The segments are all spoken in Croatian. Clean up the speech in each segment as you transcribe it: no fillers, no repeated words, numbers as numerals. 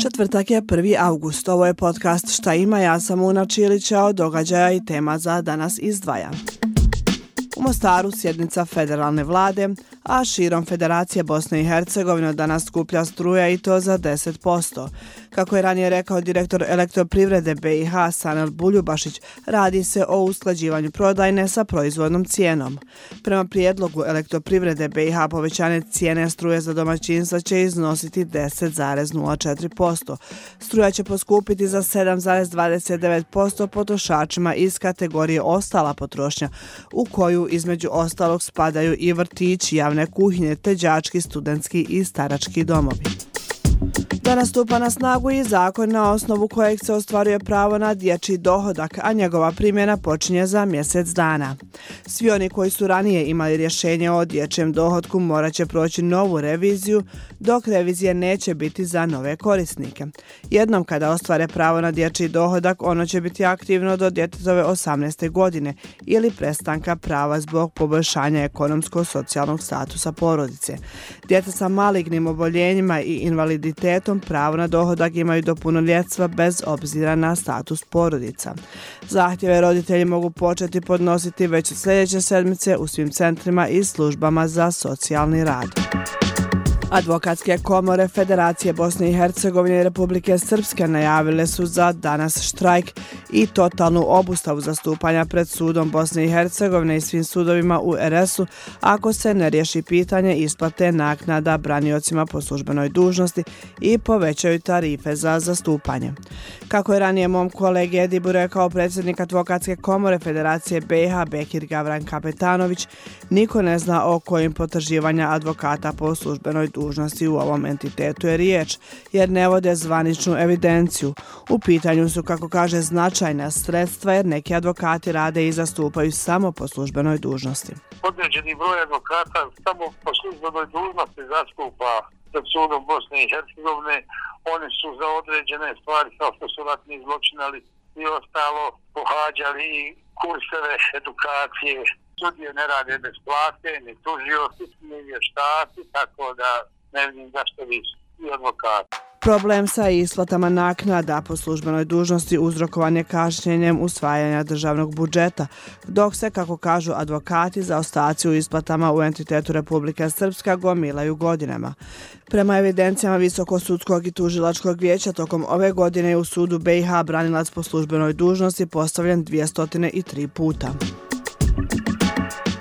Četvrtak je 1. august. Ovo je podcast Šta ima, ja sam Una Čilića, od događaja i tema za danas izdvaja. U Mostaru sjednica federalne vlade, a širom Federacije Bosne i Hercegovine danas skuplja struja i to za 10%. Kako je ranije rekao direktor Elektroprivrede BiH Sanel Buljubašić, radi se o usklađivanju prodajne sa proizvodnom cijenom. Prema prijedlogu Elektroprivrede BiH povećanje cijene struje za domaćinstva će iznositi 10,04%. Struja će poskupiti za 7,29% potrošačima iz kategorije ostala potrošnja, u koju između ostalog spadaju i vrtići, javne kuhinje te đački, studentski i starački domovi. Danas stupa na snagu i zakon na osnovu kojeg se ostvaruje pravo na dječji dohodak, a njegova primjena počinje za mjesec dana. Svi oni koji su ranije imali rješenje o dječjem dohotku morat će proći novu reviziju, dok revizije neće biti za nove korisnike. Jednom kada ostvare pravo na dječji dohodak, ono će biti aktivno do djetetove 18. godine ili prestanka prava zbog poboljšanja ekonomsko-socijalnog statusa porodice. Djeca sa malignim oboljenjima i invaliditetom pravo na dohodak imaju do punoljetstva bez obzira na status porodica. Zahtjeve roditelji mogu početi podnositi već sljedeće sedmice u svim centrima i službama za socijalni rad. Advokatske komore Federacije Bosne i Hercegovine i Republike Srpske najavile su za danas štrajk i totalnu obustavu zastupanja pred sudom Bosne i Hercegovine i svim sudovima u RS-u ako se ne riješi pitanje isplate naknada braniocima po službenoj dužnosti i povećaju tarife za zastupanje. Kako je ranije mom kolegi Edibu rekao predsjednik Advokatske komore Federacije BiH Bekir Gavran Kapetanović, niko ne zna o kojim potraživanja advokata po službenoj dužnosti u ovom entitetu je riječ, jer ne vode zvaničnu evidenciju. U pitanju su, kako kaže, značajna sredstva jer neki advokati rade i zastupaju samo po službenoj dužnosti. Određeni broj advokata samo po službenoj dužnosti zastupa pred sudom Bosne i Hercegovine. Oni su za određene stvari kao što su ratni zločinali i ostalo pohađali i kurseve edukacije. Sudije ne rade bez plate, ni tužioci, ni vještaci, tako da ne vidim zašto vi i advokati. Problem sa isplatama naknada po službenoj dužnosti uzrokovan je kašnjenjem usvajanja državnog budžeta, dok se, kako kažu advokati, zaostaci u isplatama u entitetu Republike Srpska gomilaju godinama. Prema evidencijama Visokosudskog i tužilačkog vijeća, tokom ove godine je u sudu BiH branilac po službenoj dužnosti postavljen 203 puta.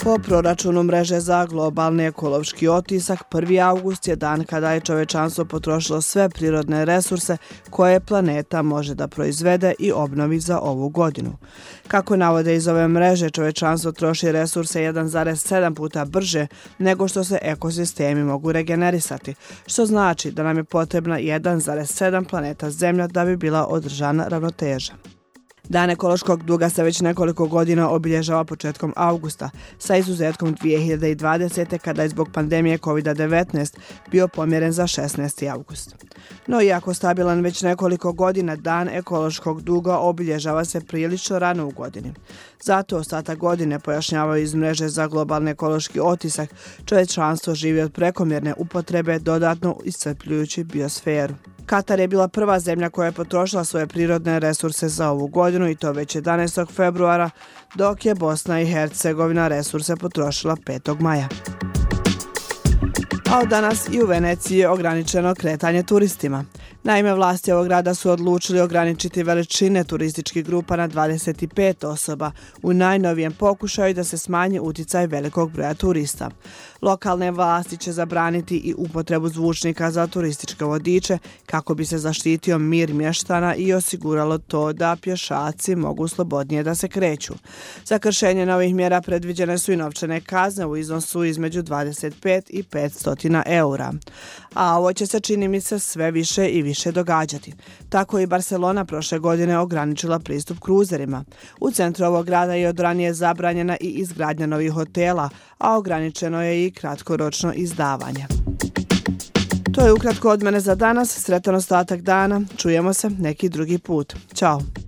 Po proračunu mreže za globalni ekološki otisak, 1. august je dan kada je čovečanstvo potrošilo sve prirodne resurse koje planeta može da proizvede i obnovi za ovu godinu. Kako navode iz ove mreže, čovečanstvo troši resurse 1,7 puta brže nego što se ekosistemi mogu regenerisati, što znači da nam je potrebna 1,7 planeta Zemlja da bi bila održana ravnoteža. Dan ekološkog duga se već nekoliko godina obilježava početkom augusta, sa izuzetkom 2020. kada je zbog pandemije COVID-19 bio pomjeren za 16. august. No iako stabilan već nekoliko godina, Dan ekološkog duga obilježava se prilično rano u godini. Zato ostatak godine, pojašnjavaju iz mreže za globalni ekološki otisak, čovječanstvo živi od prekomjerne upotrebe dodatno iscrpljujući biosferu. Katar je bila prva zemlja koja je potrošila svoje prirodne resurse za ovu godinu i to već 11. februara, dok je Bosna i Hercegovina resurse potrošila 5. maja. A od danas i u Veneciji je ograničeno kretanje turistima. Naime, vlasti ovog grada su odlučili ograničiti veličine turističkih grupa na 25 osoba u najnovijem pokušaju da se smanji utjecaj velikog broja turista. Lokalne vlasti će zabraniti i upotrebu zvučnika za turističke vodiče kako bi se zaštitio mir mještana i osiguralo to da pješaci mogu slobodnije da se kreću. Za kršenje novih mjera predviđene su i novčane kazne u iznosu između 25 i 500 eura. A ovo će se, čini mi se, sve više i više događati. Tako i Barcelona prošle godine ograničila pristup kruzerima. U centru ovog grada je od ranije zabranjena i izgradnja novih hotela, a ograničeno je i kratkoročno izdavanje. To je ukratko od mene za danas. Sretan ostatak dana. Čujemo se neki drugi put. Ćao!